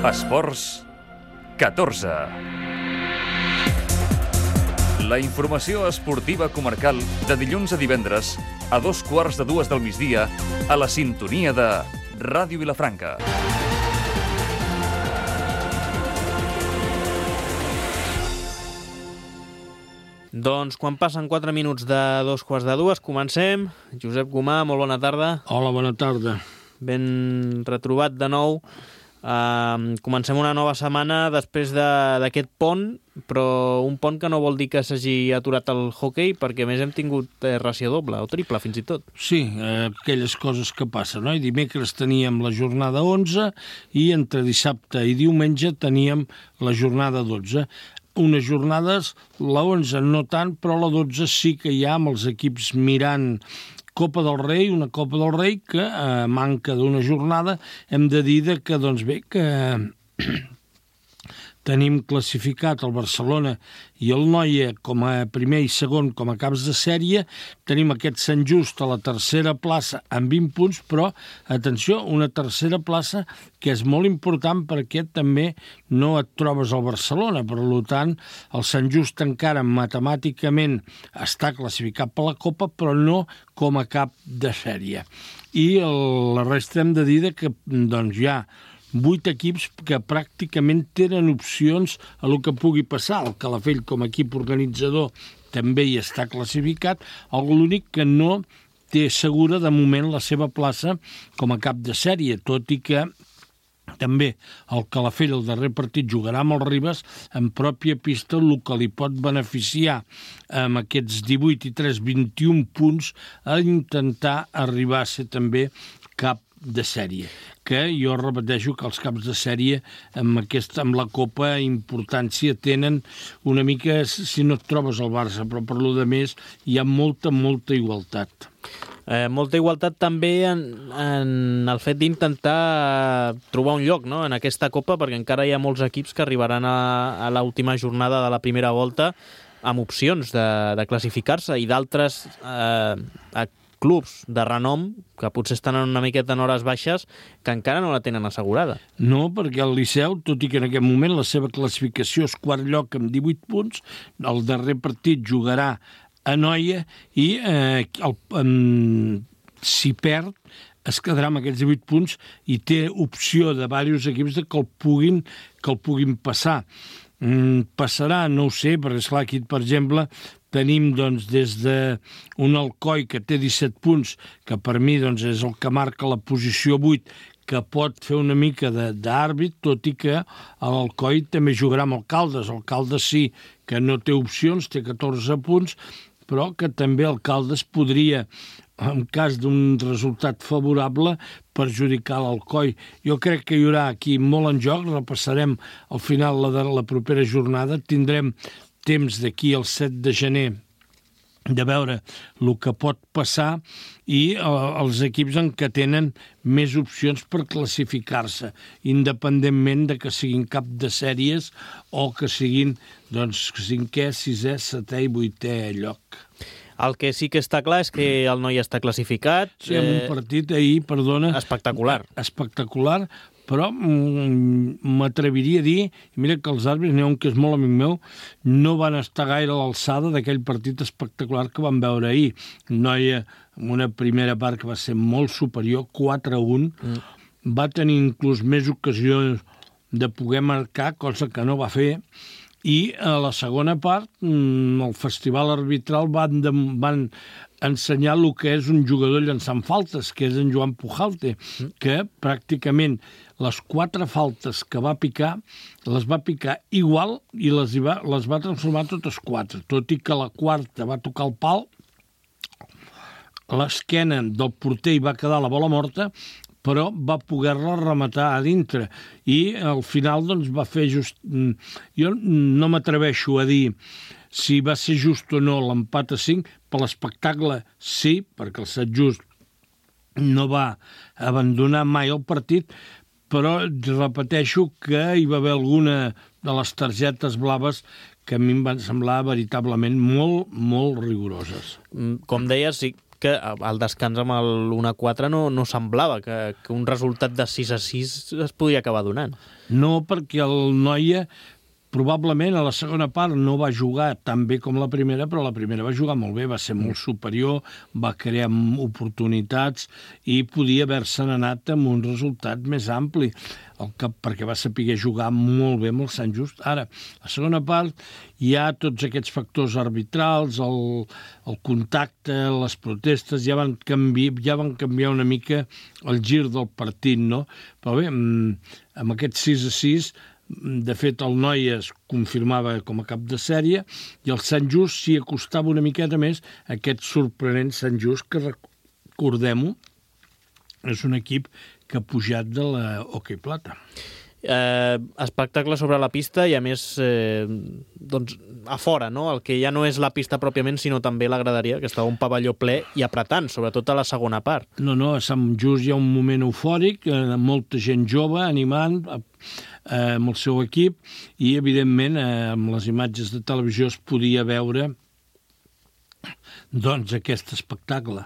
Esports 14. La informació esportiva comarcal de dilluns a divendres a 2:15 del migdia a la sintonia de Ràdio Vilafranca. Doncs quan passen 4 minuts de 2:15, comencem. Josep Gomà, molt bona tarda. Hola, bona tarda. Ben retrobat de nou. Comencem una nova setmana després d'aquest pont, però un pont que no vol dir que s'hagi aturat el hoquei, perquè a més hem tingut ració doble o triple, fins i tot. Sí, aquelles coses que passen, no? I dimecres teníem la jornada 11 i entre dissabte i diumenge teníem la jornada 12. Unes jornades, la 11 no tant, però la 12 sí que hi ha amb els equips mirant Copa del Rei, una Copa del Rei que manca d'una jornada. Hem de dir que, doncs bé, que tenim classificat el Barcelona i el Noia com a primer i segon com a caps de sèrie. Tenim aquest Sant Just a la tercera plaça amb 20 punts, però, atenció, una tercera plaça que és molt important perquè també no et trobes al Barcelona. Per tant, el Sant Just encara matemàticament està classificat per la Copa, però no com a cap de sèrie. I la resta hem de dir que doncs, hi ha 8 equips que pràcticament tenen opcions a lo que pugui passar. El Calafell, com a equip organitzador, també hi està classificat. L'únic que no té segura de moment la seva plaça com a cap de sèrie, tot i que també el Calafell, el darrer partit, jugarà amb el Ribes en pròpia pista, el que li pot beneficiar amb aquests 18 i 3, 21 punts a intentar arribar a ser també cap de sèrie, que jo repeteixo que els caps de sèrie amb la Copa importància tenen una mica, si no et trobes al Barça, però per lo de més hi ha molta igualtat. Molta igualtat també en el fet d'intentar trobar un lloc, no?, en aquesta Copa, perquè encara hi ha molts equips que arribaran a l'última jornada de la primera volta amb opcions de classificar-se i d'altres clubs de renom que potser estan una miqueta en hores baixes que encara no la tenen assegurada. No, perquè el Liceu, tot i que en aquest moment la seva classificació és quart lloc amb 18 punts, el darrer partit jugarà a Noia i si perd es quedarà amb aquests 18 punts i té opció de diversos equips que el puguin passar. Passarà, no ho sé, perquè esclar, aquí, per exemple, tenim doncs, des d'un Alcoi que té 17 punts, que per mi doncs, és el que marca la posició 8, que pot fer una mica d'àrbit, tot i que l'Alcoi també jugarà amb el Caldes. El Caldes sí que no té opcions, té 14 punts, però que també el Caldes podria, en cas d'un resultat favorable, perjudicar l'Alcoi. Jo crec que hi haurà aquí molt en joc, repassarem al final la propera jornada, tindrem temps d'aquí al 7 de gener de veure el que pot passar i els equips en què tenen més opcions per classificar-se, independentment de que siguin cap de sèries o que siguin cinquè, sisè, setè i vuitè lloc. El que sí que està clar és que el Noia està classificat. Sí, amb un partit ahir, perdona... Espectacular, però m'atreviria a dir, mira que els àrbitres, n'hi ha un que és molt amic meu, no van estar gaire a l'alçada d'aquell partit espectacular que vam veure ahir. Noia, amb una primera part que va ser molt superior, 4-1, va tenir inclús més ocasions de poder marcar, cosa que no va fer, i a la segona part el festival arbitral van ensenyar el que és un jugador llançant faltes, que és en Joan Pujalte, que pràcticament les 4 faltes que va picar, les va picar igual i les va transformar totes 4, tot i que la quarta va tocar el pal, l'esquena del porter hi va quedar la bola morta, però va poder-la rematar a dintre. I al final doncs, va fer just... Jo no m'atreveixo a dir si va ser just o no l'empat a 5, per l'espectacle sí, perquè el Sant Just no va abandonar mai el partit, però repeteixo que hi va haver alguna de les targetes blaves que a mi em van semblar veritablement molt rigoroses. Com deies, sí, que al descans amb el 1-4 no semblava que un resultat de 6-6 es podia acabar donant. No, perquè el Noia probablement a la segona part no va jugar tan bé com la primera, però la primera va jugar molt bé, va ser molt superior, va crear oportunitats i podia haver-se'n anat amb un resultat més ampli, perquè va saber jugar molt bé amb el Sant Just. Ara, a la segona part hi ha tots aquests factors arbitrals, el contacte, les protestes, ja van canviar una mica el gir del partit, no? Però bé, amb aquest 6-6, de fet, el Noia es confirmava com a cap de sèrie i el Sant Just s'hi acostava una miqueta més a aquest sorprenent Sant Just que, recordem-ho, és un equip que ha pujat de la Hockey Plata. Espectacle sobre la pista i a més doncs a fora, no? El que ja no és la pista pròpiament sinó també la graderia, que estava un pavelló ple i apretant, sobretot a la segona part. No, a Sant Just hi ha un moment eufòric, molta gent jove animant amb el seu equip i evidentment amb les imatges de televisió es podia veure doncs aquest espectacle.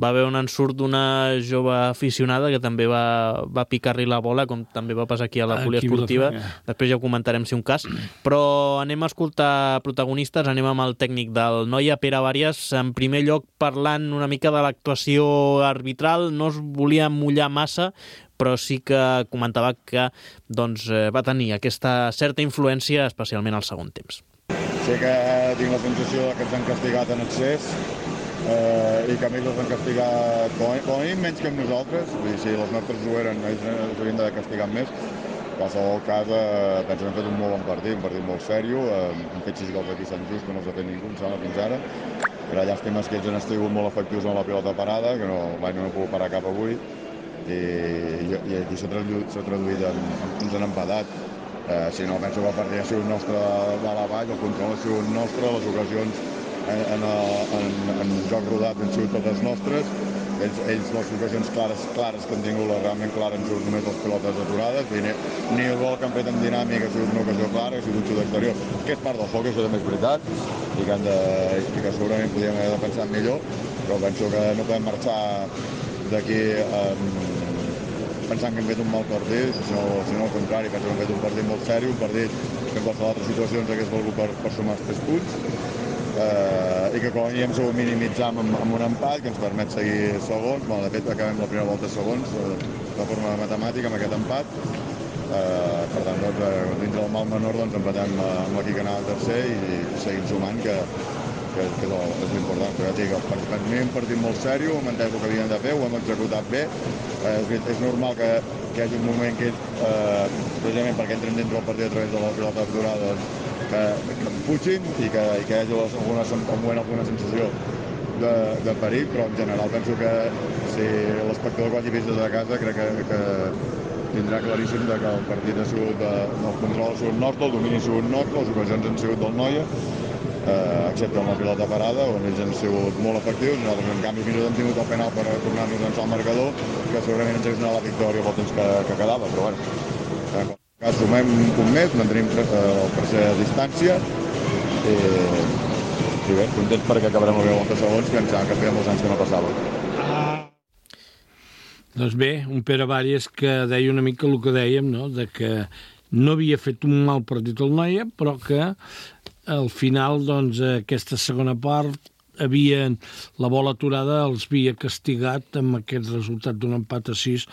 Va haver un ensurt d'una jove aficionada que també va picar-li la bola, com també va passar aquí a la poliesportiva. Després ja ho comentarem si un cas. Però anem a escoltar protagonistes, anem amb el tècnic del Noia, Pere Bàries, en primer lloc parlant una mica de l'actuació arbitral. No es volia mullar massa, però sí que comentava que doncs, va tenir aquesta certa influència, especialment al segon temps. Sí que tinc la sensació que ens han castigat en excés i que a ells els han castigat com a mínim menys que amb nosaltres. Vull dir, si els nostres ho eren, ells els haurien de castigar més. En qualsevol cas, penso que hem fet un molt bon partit, un partit molt sèrio. Hem fet 6 gols aquí a Sant Just, que no els ha fet ningú, em sembla, fins ara. Era llàstima que ells han estat molt efectius amb la pilota parada, que no he pogut parar cap avui. I aquí s'ha traduït ens han empatat. Si no, penso que el partit ha sigut nostre de la vall, el control ha sigut nostre, les ocasions en joc rodat han sigut totes nostres. Ells les ocasions clares que han tingut, realment clares, han sigut només les pilotes aturades. Ni el gol que han fet en dinàmica ha sigut una ocasió clara, ha sigut un xut exterior, que és part del joc, això també és veritat, i que segurament podíem haver defensat millor, però penso que no podem marxar d'aquí pensant que hem fet un mal partit, sinó al contrari, penso que hem fet un partit molt sèrio, un partit que en qualsevol altres situacions hagués valgut per sumar els 3 punts, i que com a mínim s'ho minimitzam amb un empat que ens permet seguir segons. De fet, acabem la primera volta segons de forma matemàtica amb aquest empat. Per tant, dins del mal menor empatem amb l'equip que anava tercer i seguim sumant, que és l'important. Però ja dic, per mi un partit molt sèrio, hem entès el que havíem de fer, ho hem executat bé. És normal que hi hagi un moment que precisament perquè entrem dintre del partit a través de la pilota aturada, que em pugin i que hi hagi alguna sensació de perill, però en general penso que si l'espectador que hagi vist des de casa crec que tindrà claríssim que el partit ha sigut, el control ha sigut nostre, el domini ha sigut nostre, les ocasions han sigut del Noia, excepte amb la pilota parada, on ells han sigut molt efectius. Nosaltres, en canvi, fins i tot hem tingut el penal per tornar-nos a llançar el marcador, que segurament ens hagués donat la victòria pel temps que quedava, però bueno. En qualsevol cas, sumem un punt més, mantenim el tercer a distància, i bé, contents perquè acabarem la 20 segons, que em sembla que feia molts anys que no passava. Doncs bé, un Pere Bàries que deia una mica el que dèiem, no? De que no havia fet un mal partit al Noia, però que al final, doncs, aquesta segona part la bola aturada els havia castigat amb aquest resultat d'un empat a 6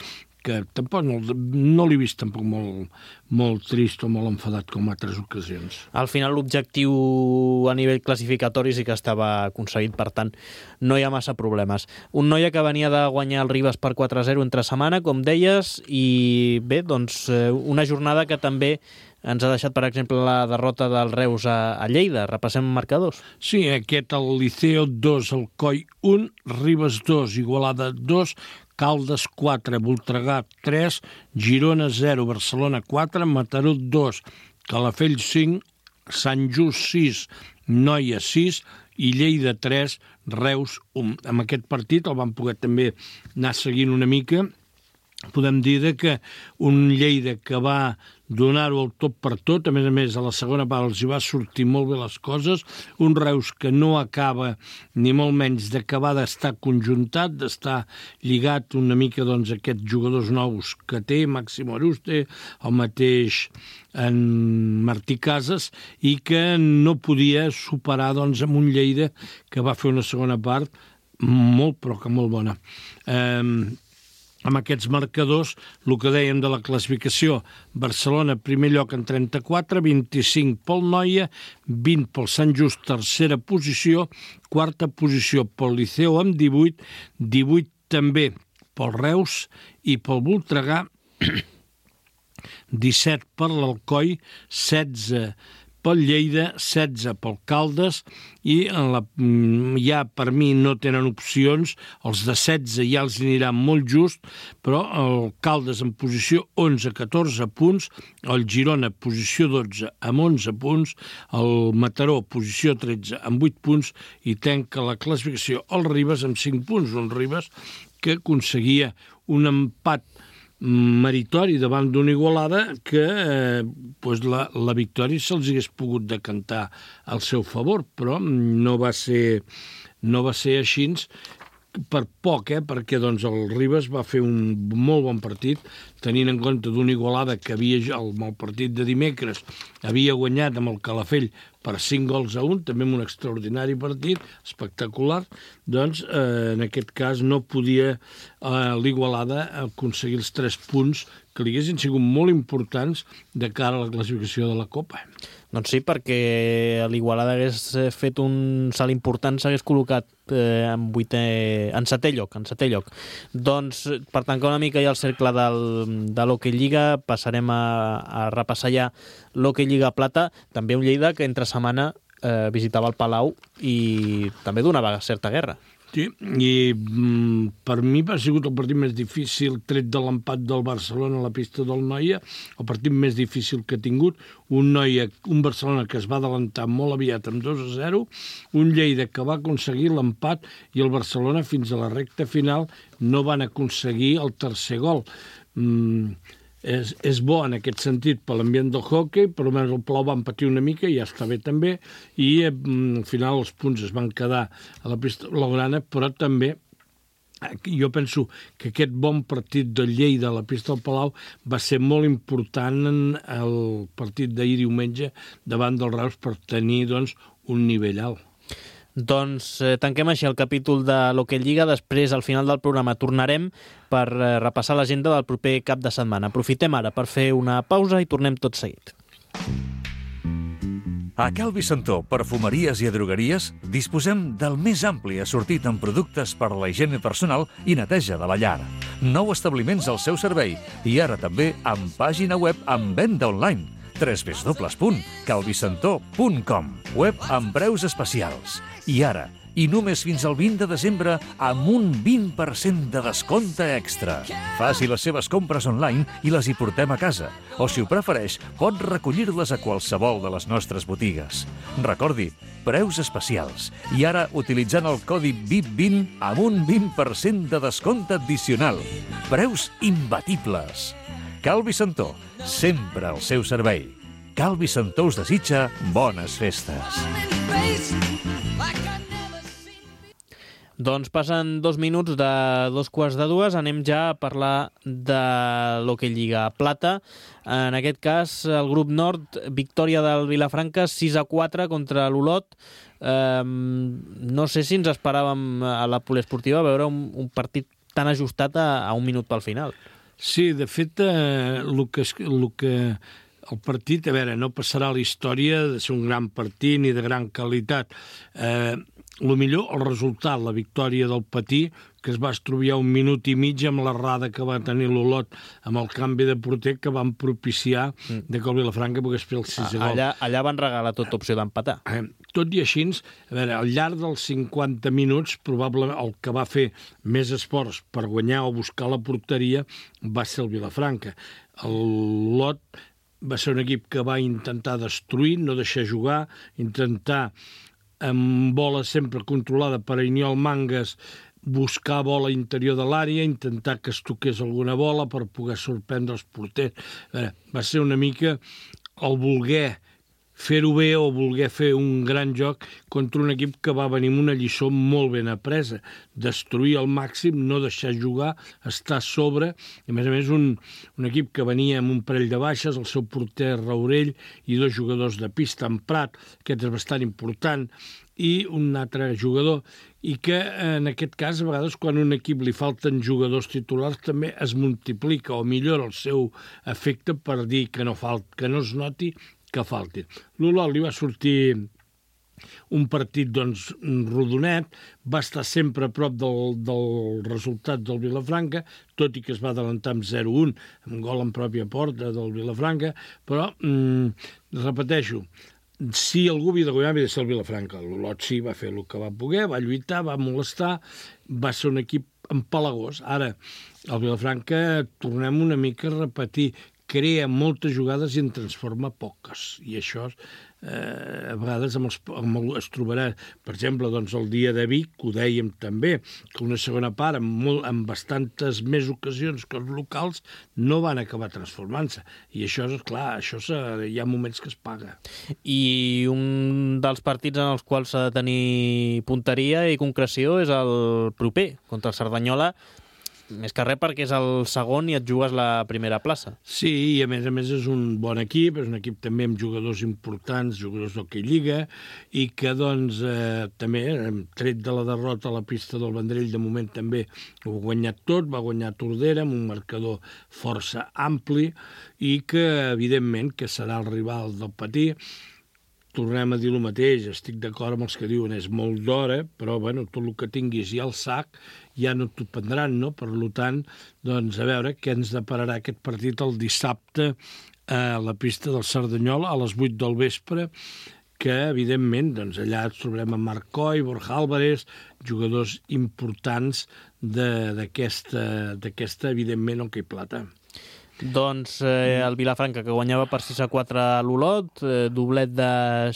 que tampoc no l'he vist tampoc molt trist o molt enfadat com altres ocasions. Al final l'objectiu a nivell classificatori sí que estava aconseguit, per tant no hi ha massa problemes. Un Noia que venia de guanyar el Ribes per 4-0 entre setmana, com deies, i bé, doncs una jornada que també ens ha deixat, per exemple, la derrota del Reus a Lleida. Repassem marcadors. Sí, aquest el Liceo 2, el Coi 1, Ribes 2, Igualada 2, Caldes 4, Voltregà 3, Girona 0, Barcelona 4, Mataró 2, Calafell 5, Sant Just 6, Noia 6 i Lleida 3, Reus 1. Amb aquest partit el vam poder també anar seguint una mica. Podem dir que un Lleida que va donar-ho el tot per tot. A més, a la segona part els hi va sortir molt bé les coses. Un Reus que no acaba, ni molt menys d'acabar d'estar conjuntat, d'estar lligat una mica doncs, a aquests jugadors nous que té, Màximo Aruste, el mateix en Martí Casas, i que no podia superar doncs, amb un Lleida que va fer una segona part molt, però que molt bona. Amb aquests marcadors, el que dèiem de la classificació, Barcelona primer lloc en 34, 25 pel Noia, 20 pel Sant Just, tercera posició, quarta posició pel Liceu amb 18, 18 també pel Reus i pel Voltregà, 17 per l'Alcoi, 16 pel Lleida, 16 pel Caldes, i ja per mi no tenen opcions, els de 16 ja els aniran molt just, però el Caldes en posició 11-14 punts, el Girona posició 12 amb 11 punts, el Mataró posició 13 amb 8 punts, i tanca la classificació el Ribes amb 5 punts, un Ribes que aconseguia un empat meritori davant d'una Igualada que la victòria se'ls hagués pogut decantar al seu favor, però no va ser així per poc, perquè doncs, el Ribes va fer un molt bon partit, tenint en compte d'una Igualada que havia, el partit de dimecres, havia guanyat amb el Calafell per 5-1, també amb un extraordinari partit, espectacular, doncs en aquest cas no podia l'Igualada aconseguir els 3 punts que li haguessin sigut molt importants de cara a la classificació de la Copa. Doncs sí, perquè l'Igualada hagués fet un salt important, s'hagués col·locat en setè lloc. Doncs, per tancar una mica ja el cercle de l'Hockey Lliga, passarem a repassar ja l'Hockey Lliga Plata, també un Lleida que entre setmana visitava el Palau i també donava certa guerra. Sí, i per mi ha sigut el partit més difícil, tret de l'empat del Barcelona a la pista del Noia, el partit més difícil que ha tingut, un Barcelona que es va adelantar molt aviat amb 2-0, un Lleida que va aconseguir l'empat, i el Barcelona fins a la recta final no van aconseguir el tercer gol. És bo en aquest sentit per l'ambient del hockey, per almenys el Palau van patir una mica i ja està bé també, i al final els punts es van quedar a la pista blaugrana, però també jo penso que aquest bon partit del Lleida a la pista del Palau va ser molt important en el partit d'ahir diumenge davant del Reus per tenir doncs, un nivell alt. Doncs tanquem així el capítol de l'Hockey Lliga. Després, al final del programa, tornarem per repassar l'agenda del proper cap de setmana. Aprofitem ara per fer una pausa i tornem tot seguit. A Cal Vicentó, perfumeries i drogueries, disposem del més ampli assortit en productes per a la higiene personal i neteja de la llar. 9 establiments al seu servei i ara també amb pàgina web amb venda online. www.calvicentó.com, web amb preus especials. I ara, i només fins al 20 de desembre, amb un 20% de descompte extra. Faci les seves compres online i les hi portem a casa. O, si ho prefereix, pot recollir-les a qualsevol de les nostres botigues. Recordi, preus especials. I ara, utilitzant el codi VIP20 amb un 20% de descompte addicional. Preus imbatibles. Cal Vicentó, sempre al seu servei. Cal Vicentó us desitja bones festes. Doncs passen 2 minuts de 2:45, anem ja a parlar de l'Hockey Lliga Plata. En aquest cas, el grup nord, victòria del Vilafranca 6-4 contra l'Olot. No sé si ens esperàvem a la poliesportiva veure un partit tan ajustat a un minut pel final. Sí, de fet, el partit, a veure, no passarà a la història de ser un gran partit ni de gran qualitat. El millor, el resultat, la victòria del Patí, que es va estrobiar 1 minut i mig amb l'errada que va tenir l'Olot amb el canvi de porter que van propiciar que el Vilafranca pogués fer el 6 gol. Allà van regalar tota opció d'empatar. Tot i així, a veure, al llarg dels 50 minuts, probablement el que va fer més esforç per guanyar o buscar la porteria va ser el Vilafranca. L'Olot va ser un equip que va intentar destruir, no deixar jugar, intentar amb bola sempre controlada per Iniol Mangas buscar bola interior de l'àrea, intentar que es toqués alguna bola per poder sorprendre els porters. Va ser una mica el voler fer-ho bé o voler fer un gran joc contra un equip que va venir amb una lliçó molt ben apresa. Destruir al màxim, no deixar jugar, estar a sobre. I a més, un equip que venia amb un parell de baixes, el seu porter Raurell i 2 jugadors de pista, en Prat, aquest és bastant important, i un altre jugador, i que en aquest cas, a vegades, quan a un equip li falten jugadors titulars, també es multiplica o millora el seu efecte per dir que no es noti que falti. L'Olot li va sortir un partit rodonet, va estar sempre a prop del resultat del Vilafranca, tot i que es va adelantar amb 0-1, amb gol en pròpia porta del Vilafranca, però, repeteixo, si algú havia de guanyar, havia de ser el Vilafranca. L'Olot sí, va fer el que va poder, va lluitar, va molestar, va ser un equip empalagós. Ara, el Vilafranca, tornem una mica a repetir, crea moltes jugades i en transforma poques. I això, a vegades, es trobarà, per exemple, el dia de Vic, que ho dèiem també, que una segona part, amb bastantes més ocasions que els locals, no van acabar transformant-se. I això, és clar, hi ha moments que es paga. I un dels partits en els quals s'ha de tenir punteria i concreció és el proper, contra el Cerdanyola, més que res perquè és el segon i et jugues la primera plaça. Sí, i a més és un bon equip, és un equip també amb jugadors importants, jugadors d'hoquei lliga, i que també, tret de la derrota a la pista del Vendrell, de moment també ho ha guanyat tot, va guanyar Tordera amb un marcador força ampli, i que, evidentment, que serà el rival del Patí. Tornem a dir el mateix, estic d'acord amb els que diuen és molt d'hora, però tot el que tinguis ja al sac ja no t'ho prendran, no? Per tant, a veure què ens depararà aquest partit el dissabte a la pista del Cerdanyola a les 8 del vespre, que evidentment allà ens trobarem amb Marc Coll, Borja Álvarez, jugadors importants d'aquesta evidentment, hoquei plata. Doncs el Vilafranca, que guanyava per 6-4 a l'Olot, doblet de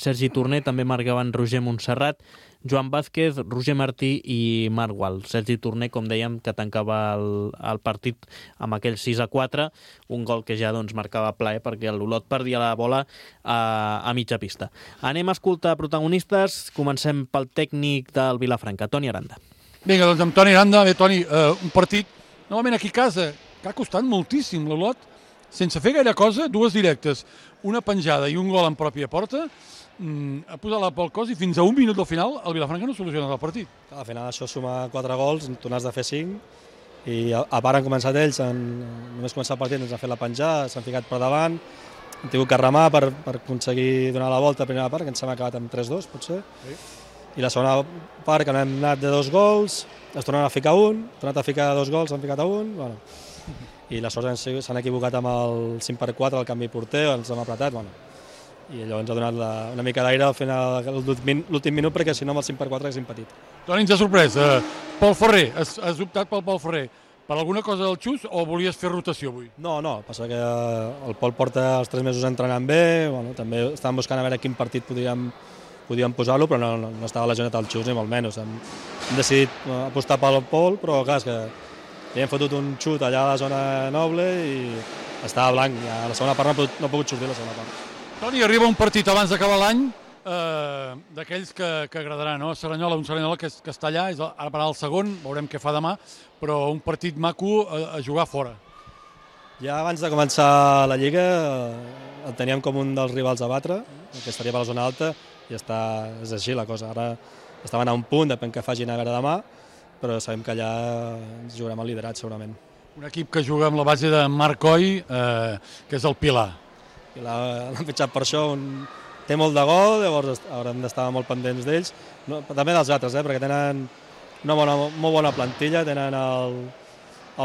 Sergi Torner, també marcaven Roger Montserrat, Joan Vázquez, Roger Martí i Marc Gual. Sergi Torner, com dèiem, que tancava el partit amb aquell 6-4, un gol que ja marcava plaer perquè l'Olot perdia la bola a mitja pista. Anem a escoltar protagonistes. Comencem pel tècnic del Vilafranca, Toni Aranda. Vinga, amb Toni Aranda. Bé, Toni, un partit, novament aquí a casa, que ha costat moltíssim l'Olot, sense fer gaire cosa, 2 directes, una penjada i un gol en pròpia porta, ha posat la pel cos i fins a 1 minut del final el Vilafranca no soluciona el partit. Al final això suma 4 gols, tu n'has de fer 5, i a part han començat ells, només començar el partit ens han fet la penjada, s'han ficat per davant, han tingut que remar per aconseguir donar la volta a primera part, que ens hem acabat amb 3-2, potser. Sí. I la segona part, que hem anat de 2 gols, es tornen a ficar un, tornat a ficar 2 gols, s'han ficat a un, i les sorts s'han equivocat amb el 5x4, el canvi porter, ens hem apretat, i allò ens ha donat una mica d'aire al final, l'últim minut, perquè si no amb el 5x4 haguéssim patit. Toni, ens ha sorprès. Pol Ferrer, has optat pel Pol Ferrer. Per alguna cosa del xus o volies fer rotació avui? No, passa que el Pol porta els 3 mesos entrenant bé, també estàvem buscant a veure quin partit podíem posar-lo, però no estava lesionat al xus, ni molt menys. Hem decidit apostar pel Pol, però clar, és que li hem fotut un xut allà a la zona noble i estava blanc. A la segona part no ha pogut sortir la segona part. Toni, arriba un partit abans d'acabar l'any d'aquells que agradarà, no? Un Cerdanyola que està allà, ara per el segon, veurem què fa demà, però un partit maco a jugar fora. Ja abans de començar la Lliga el teníem com un dels rivals a batre, que estaria per la zona alta, i és així la cosa. Ara estaven a un punt, depèn que facin a veure demà, però sabem que allà ens jugarem el liderat, segurament. Un equip que juga amb la base de Marc Coll, que és el Pilar. L'han fitxat per això, té molt de gol, llavors haurem d'estar molt pendents d'ells, també dels altres, perquè tenen una molt bona plantilla, tenen el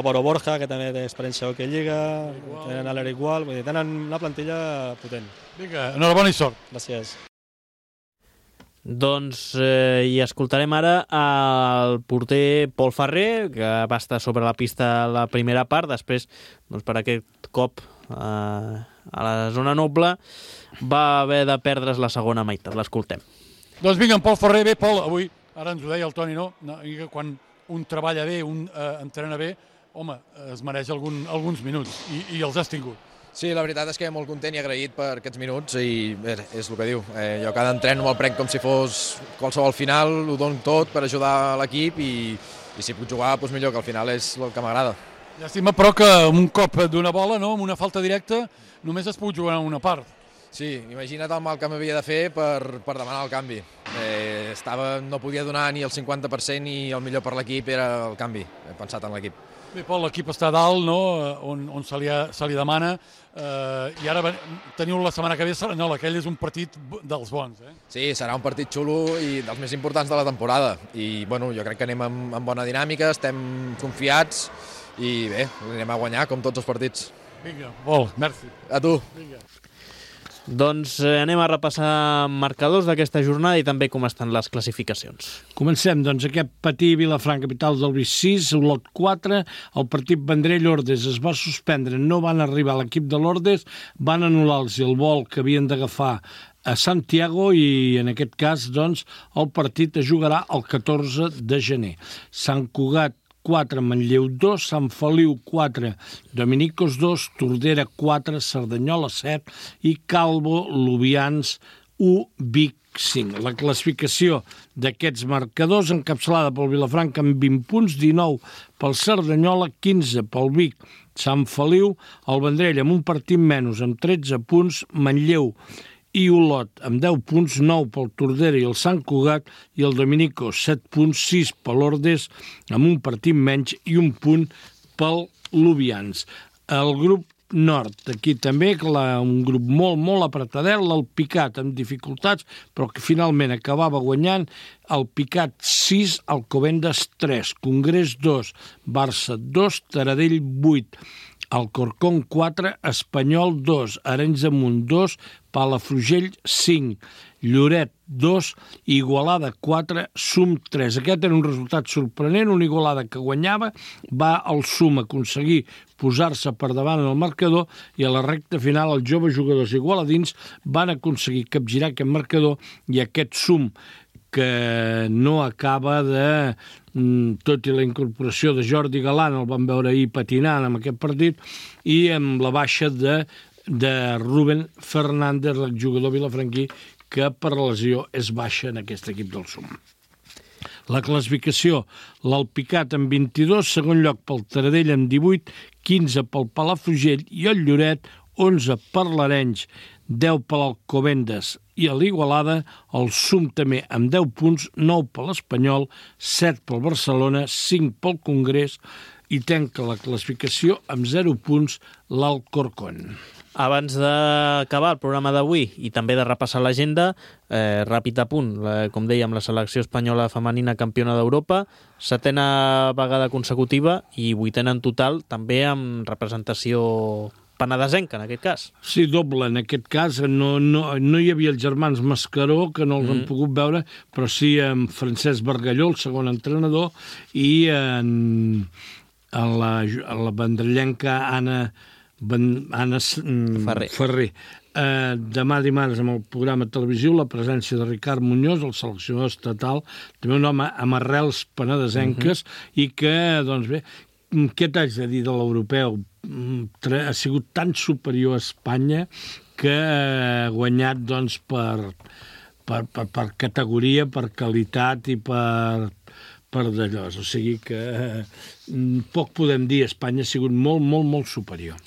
Boro Borja, que també té experiència a hoquei lliga, tenen l'Eric Gual, vull dir, tenen una plantilla potent. Vinga, enhorabona i sort. Gràcies. Doncs hi escoltarem ara el porter Pol Ferrer, que va estar sobre la pista la primera part, després per aquest cop a la zona noble va haver de perdre's la segona meitat. L'escoltem. Doncs vinga, en Pol Ferrer. Bé, Pol, avui, ara ens ho deia el Toni, no? Quan un treballa bé, un entrena bé, home, es mereix alguns minuts i els has tingut. Sí, la veritat és que molt content i agraït per aquests minuts i és el que diu. Jo cada entren me'l prenc com si fos qualsevol final, ho dono tot per ajudar l'equip i si puc jugar, doncs millor, que al final és el que m'agrada. Llàstima, però, que amb un cop d'una bola, no, amb una falta directa, només es pot jugar una part. Sí, imagina't el mal que m'havia de fer per demanar el canvi. No podia donar ni el 50% i el millor per l'equip era el canvi. He pensat en l'equip. Bé, Pol, l'equip està a dalt, no?, on se li demana, i ara teniu la setmana que ve Cerdanyola, aquell és un partit dels bons, eh? Sí, serà un partit xulo i dels més importants de la temporada. I bueno, jo crec que anem amb bona dinàmica, estem confiats i bé, anem a guanyar com tots els partits. Vinga, Pol, merci. A tu. Vinga. Doncs anem a repassar marcadors d'aquesta jornada i també com estan les classificacions. Comencem, doncs, aquest Patí Vilafranca, capital del Vic 6, Olot 4, el partit Vendrell-Ordes es va suspendre, no van arribar a l'equip de l'Ordes, van anul·lar-los el vol que havien d'agafar a Santiago i en aquest cas, doncs, el partit es jugarà el 14 de gener. Sant Cugat 4, Manlleu 2, Sant Feliu 4, Dominicos 2, Tordera 4, Cerdanyola 7 i Calvo Lubians 1, Vic 5. La classificació d'aquests marcadors encapçalada pel Vilafranca amb 20 punts, 19 pel Cerdanyola, 15 pel Vic, Sant Feliu, el Vendrell amb un partit menys amb 13 punts, Manlleu i Olot amb 10 punts, 9 pel Tordera i el Sant Cugat i el Dominico 7 punts, 6 per l'Ordes amb un partit menys i un punt pel Lubians. El grup nord, aquí també, un grup molt apretadet, el Picat amb dificultats, però que finalment acabava guanyant, el Picat 6, Alcobendas 3, Congrés 2, Barça 2, Taradell 8, Alcorcón 4, Espanyol 2, Arenys de Munt 2, Palafrugell 5, Lloret 2, Igualada 4, Sum 3. Aquest era un resultat sorprenent, una Igualada que guanyava, va al Sum aconseguir posar-se per davant en el marcador i a la recta final els joves jugadors igualadins van aconseguir capgirar aquest marcador i aquest Sum que no acaba de, tot i la incorporació de Jordi Galant, el vam veure ahir patinant en aquest partit, i amb la baixa de Rubén Fernández, l'exjugador vilafranquí, que per lesió és baixa en aquest equip del Sum. La classificació, l'Alpicat amb 22, segon lloc pel Taradell amb 18, 15 pel Palafrugell i el Lloret, 11 per l'Arenys, 10 per l'Alcobendas i a l'Igualada, el Sum també amb 10 punts, 9 per l'Espanyol, 7 pel Barcelona, 5 pel Congrés i tanca la classificació amb 0 punts l'Alcorcón. Abans d'acabar el programa d'avui i també de repassar l'agenda, ràpid apunt, com dèiem, la selecció espanyola femenina campiona d'Europa, 7a vegada consecutiva i 8a en total, també amb representació penedesenca, en aquest cas. Sí, doble, en aquest cas. No hi havia els germans Mascaró, que no els han pogut veure, però sí amb Francesc Bargalló, el segon entrenador, i en la vendrellenca Anna Ferrer. Demà dimarts amb el programa televisiu la presència de Ricard Muñoz, el seleccionador estatal, també un home amb arrels penedesenques i que, doncs bé, què t'haig de dir de l'europeu? Ha sigut tan superior a Espanya que ha guanyat doncs, per categoria, per qualitat i per d'allò. O sigui que poc podem dir, Espanya ha sigut molt superior.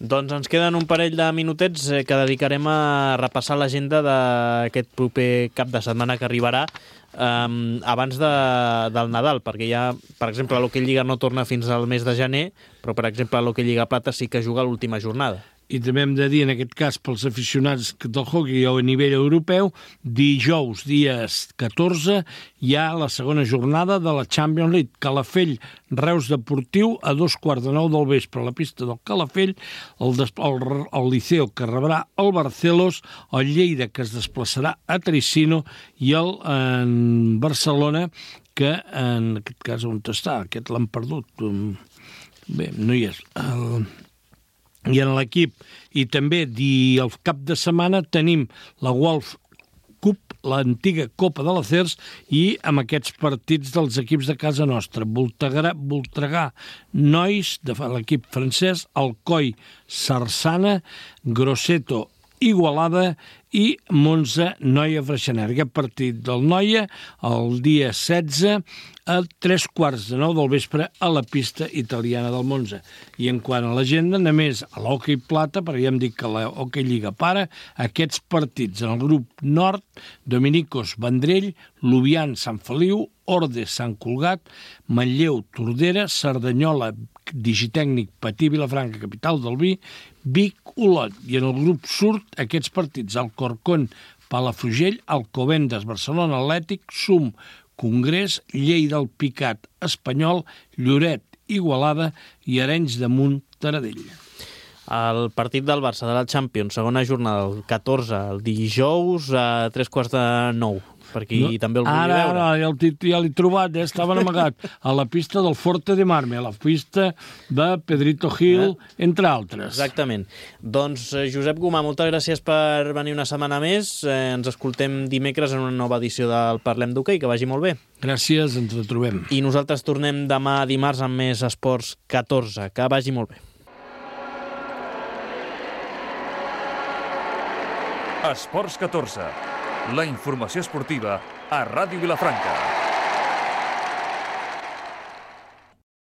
Doncs ens queden un parell de minutets que dedicarem a repassar l'agenda d'aquest proper cap de setmana que arribarà abans del Nadal, perquè ja, per exemple, l'Hockey Lliga no torna fins al mes de gener, però, per exemple, l'Hockey Lliga Plata sí que juga l'última jornada. I també hem de dir, en aquest cas, pels aficionats del hockey a nivell europeu, dijous, dia 14, hi ha la segona jornada de la Champions League. Calafell, Reus Deportiu, a 2:15 del vespre a la pista del Calafell, el Liceo, que rebrà el Barcelos, el Lleida, que es desplaçarà a Tricino, i el Barcelona, que en aquest cas on està? Aquest l'han perdut. Bé, no hi és. I en l'equip, i també el cap de setmana tenim la Wolf Cup, l'antiga Copa de l'Acers, i amb aquests partits dels equips de casa nostra. Voltregà, Nois, de l'equip francès, Alcoi, Sarsana, Grosseto, Igualada i Monza, Noia, Freixenet. Aquest partit del Noia el dia 16 a 15:45 del vespre a la pista italiana del Monza. I en quant a l'agenda, només a l'hoquei plata, perquè ja hem dit que la Hockey Lliga para, aquests partits en el grup nord: Dominicos, Vendrell, Lubián, Sant Feliu, Ordes, Sant Cugat, Manlleu, Tordera, Cerdanyola, Digitècnic, Patí, Vilafranca, capital del vi, Vic, Olot. I en el grup sud, aquests partits: Alcorcón, Palafrugell, Alcobendas, Barcelona Atlètic, Sum, Congrés, Lleida, el Picat, Espanyol, Lloret, Igualada i Arenys de Munt, Taradell. El partit del Barça de la Champions, segona jornada, el 14, el dijous a 15:45. Per aquí també el volia veure. Ara, ja l'he trobat, estaven amagat a la pista del Forte de Marme, a la pista de Pedrito Gil, entre altres. Exactament. Doncs, Josep Gomà, moltes gràcies per venir una setmana més. Ens escoltem dimecres en una nova edició del Parlem d'Hoquei. Que vagi molt bé. Gràcies, ens retrobem. I nosaltres tornem demà dimarts amb més Esports 14. Que vagi molt bé. Esports 14. La informació esportiva a Ràdio Vilafranca.